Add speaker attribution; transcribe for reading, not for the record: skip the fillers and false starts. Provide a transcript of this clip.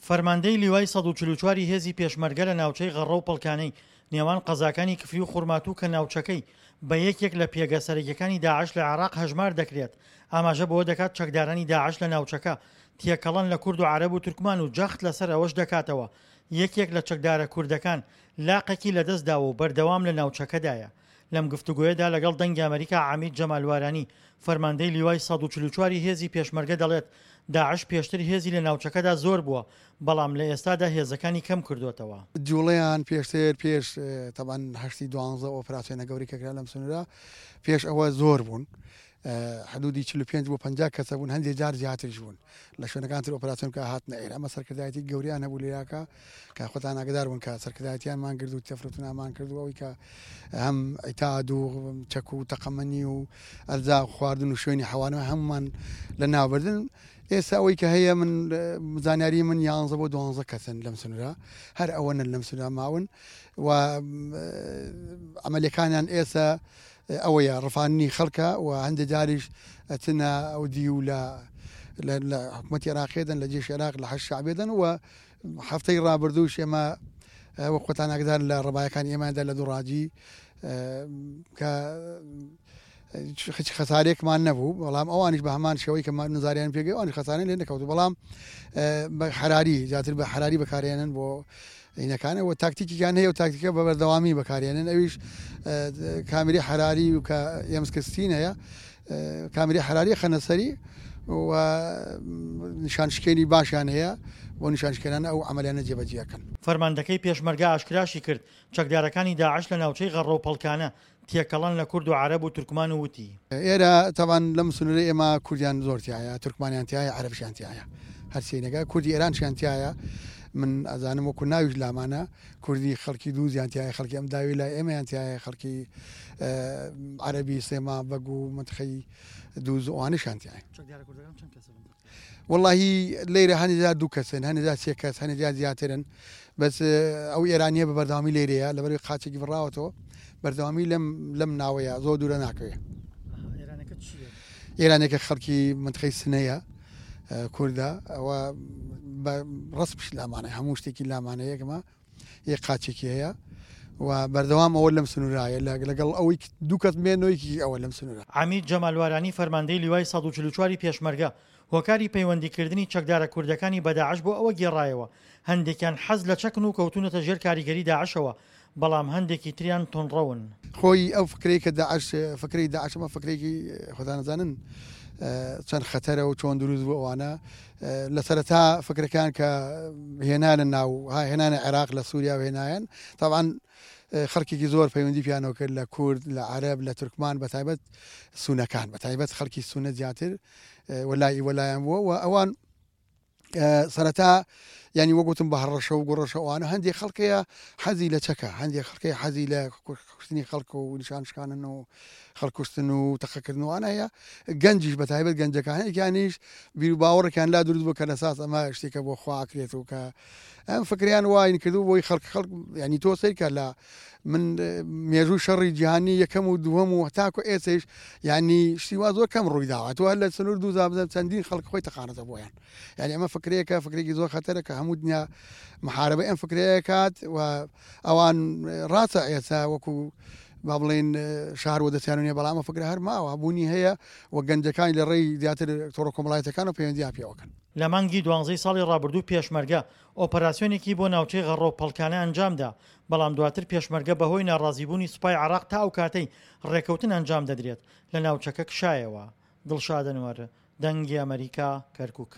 Speaker 1: فەرماندەی لیوای 144 ی هێزی پێشمەرگە لە ناوچەی غەڕە و پەڵکانەی نێوان قەزاکانی کفری و خورماتوو کە ناوچەکەی بە یەکێک لە پێگە سەرەکیەکانی داعش لە عێراق هەژمار دەکرێت ئاماژە بەوە دەکات چەکدارانی داعش لە ناوچەکە تێکەڵەن لە کورد و عەرەب و تورکمان و جەخت لەسەر ئەوەش دەکاتەوە یەکێک لە چەکدارە کوردەکان لاقێکی لەدەستداوە و بەردەوام لە ناوچەکەدایە. لەم گفتوگۆیەدا لەگەڵ دەنگی ئەمەریکا عەمید جەمال وارانی، فەرماندەی لیوای 144 ی هێزی پێشمەرگە دەڵێت، داعش پێشتر هێزی لە ناوچەکەدا زۆر بووە، بەڵام لە ئێستادا هێزەکانی کەم کردۆتەوە.
Speaker 2: جوڵەیان پێشتر پێش تەبعەن هەشتی دوانزە ئۆپراسیۆنە گەورەی کە کرا لەم سنوورە پێش ئەوە زۆر بوون حدودی 45 بۆ 50 کەسە بوون هەندێک جار زیاتریش بوون لە شوێنەکان تر ئۆپراسیۆن کە هاتنە ئێرە ئەمە سەرکردایەتی گەوریان هەبوو لێراکە کە خۆتان ئاگدار بوون کە سەرکردایەتیانمان کرد و تەفروتونامان کرد و ئەوەی کە هەم عیتاد و چەک و تەقەمەنی و ئەرزا خواردن و شوێنی حەوانەوە هەمومان لە ناوبردن ئێستا ئەوەی کە هەیە من زانیاری من یانزە بۆ دوانزە کەسن لەم سنوورە هەر ئەوەنن لەم سنوورە ماون و عملیەکانیان ئێستا ئەوەیە ڕفاندنی خەڵکە و هەندێ جاریش ئەچنە ئەو دیو لە لە حکومەتی عێراقێ دەن لە جێش عێراق لە حەشد شەعبێ دەن و هەفتەی ڕابردووش ئێمە وەک خۆتان ئاگدار لە ڕەبایەکانی ئێمەدا لە دوڕاجی کە هیچ خەسارێکمان نەبوو بەڵام ئەوانیش بە هەمان شێوەی کە نزاریان پێگەی ئەوانی خەسارێن لێ نەکەوت بەڵام بە حراری زیاتر بە حراری بەکارێنن بۆ هینەکانە و تاکتیکیان هەیە و تاکتیکە بە بەردەوامی بەکارێنن ئەویش کامیری حراری و کە ئێمسکستین هەیە کامیری حراری خەنەسەری و نیشانشکێنی باشیان هەیە بۆ نیشانشکێنان ئەو عملیانە جێبەجیەکەن.
Speaker 1: فەرماندەکەی پێشمەرگە ئاشکراشی کرد، چەکدارەکانی داعش لە ناوچەی غەڕە و پەڵکانە تێکەڵەن لە کورد و عەرەب و تورکمان و وتی.
Speaker 2: ئێرە تەبعەن لەم سنوورەی ئێمە کوردیان زۆر تیایە، تورکمانیان تیایە، عەرەبیشیان تیایە. هەر سێینەکە کوردی ئێرانشیان تیایە. من ئەزانم وەکوو ناویش لامانە کوردی خەڵکی دووزیان تیایە، خەڵکی ئەم داوی لای ئێمەیان تیایە، خەڵکی عەرەبی سێما بەگ و مەنتقەی دووز ئەوانەشیان تیایە.
Speaker 1: چەکدارە کوردەکان چەند کەسن؟
Speaker 2: وەڵاهی لەیرە هەنێ جار دوو کەسن هەنێ جار سێ کەس هەنێ جار زیاترن بەس ئەو ئێرانیە بە بەردەوامی لێرەیە لەبەرەوەی قاچێکی بڕاوەتەوە بەردەوامی لەم لەم ناوەیە زۆر دوورە ناکەوێ ئێرانێکە خەڵکی منتقەی سنەیە کوردە ئەوە بە ڕەسمیش لامانە هەموو شتێکی لامانە یەکمە یەک قاچێکی هەیە و بەردەوام ئەوە لەم سنوورایە لەگەڵ ئەوەی دوو کەس مێنۆیەکی ئەوە لەم سنوورە.
Speaker 1: عەمید جەمال وارانی فەرماندەی لیوای 144 ی پێشمەرگە هۆکاری پەیوەندیکردنی چەکدارە کوردەکانی بە داعش بۆ ئەوە گێڕایەوە هەندێکیان حەز لە چەکن و کەوتوونەتە ژێر کاریگەری داعشەوە بەڵام هەندێکی تریان توندڕەون.
Speaker 2: خۆی ئەو فکرەی کە داعش فکرەی داعش ئەمە فکرێکی خۆتان ئەزانن چەند خەتەرە و چۆن دروست بوو ئەوانە لە سەرەتا فکرەکان کە هێنانە ناو هێنانە عێراق لە سووریا و هێنایان تاوان خەڵکێکی زۆر پەیوەندی پیانەوە کرد لە کورد لە عەرەب لە تورکمان بە تایبەت سونەکان بە تایبەت خەڵکی سونە زیاتر وەلای وەلایان بووە و ئەوان سەرەتا ینی وەگوتم بە هەڕەشە و گوڕەشە ئەوانە هەندێک خەڵکەیە حەزی لە چەکە هەندێک خەڵکەی حەزی لە کوشتنی خەڵک و نیشان شکانن و خەڵکوشتن و تەقەکردن و ئەوانە هەیە گەنجیش بە تایبەت گەنجەکان هەندێکیانیش بیر و باوەڕێکیان لا دروست بوو کە لەساس ئەمە شتێکە بۆ خوا ئەکرێت و کە ئەم فکریان واین کردو بۆی خەڵک خەڵک ینی تۆ سەیرکە لە من مێژوو شەڕی جیهانی یەکەم و دووەم و تاکو ئێسەیش یعنی شتی وا زۆر کەم ڕووی داوە تۆ هەر لە سنوور دوو زابزە چەندین خەڵک خۆی تەقانەتە بۆیان یعنی ئەمە فکرەیەکە فکرێکی زۆر خەتەرە کە هەموو دنیا محاربە ئەم فکرەیە کات و ئەوان ڕاستە ئێستا وەکو با بڵێین شار وەدەستیان نیە بەڵام ئەمە فکرە هەر ماوە بوونی هەیە و گەنجەکانی لە ڕێی زیاتر تۆڕە کۆمەڵایەتیەکانەوە پەیوەندیان پێوەکەن.
Speaker 1: لە مانگی دوانزەی ساڵی ڕابردوو پێشمەرگە ئۆپەراسیۆنێکی بۆ ناوچەی غەڕە و پەڵکانە ئەنجامدا، بەڵام دواتر پێشمەرگە بەهۆی ناڕازیبوونی سوپای عێراق تا ئەو کاتەی ڕێکەوتن ئەنجام دەدرێت لە ناوچەکە کشایەوە. دڵشاد ئەنوەر، دەنگی ئەمەریکا، کەرکوک.